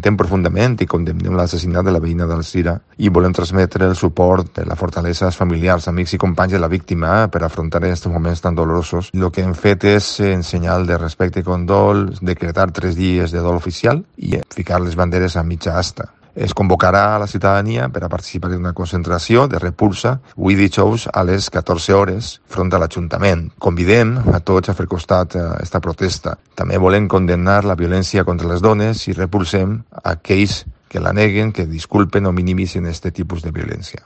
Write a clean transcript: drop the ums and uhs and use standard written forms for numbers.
lamentem profundament i condemnem l'assassinat de la veïna d'Alzira i volem transmetre el suport, la fortalesa als familiars, amics i companys de la víctima per afrontar aquests moments tan dolorosos. El que hem fet és, en senyal de respecte i condol, decretar 3 dies de dol oficial i ficar les banderes a mitja asta. Es convocarà a la ciutadania per a participar en una concentració de repulsa avui dijous a les 14 hores front a l'Ajuntament. Convidem a tots a fer costat a aquesta protesta. També volem condemnar la violència contra les dones i repulsem a aquells que la neguen, que disculpen o minimitzen aquest tipus de violència.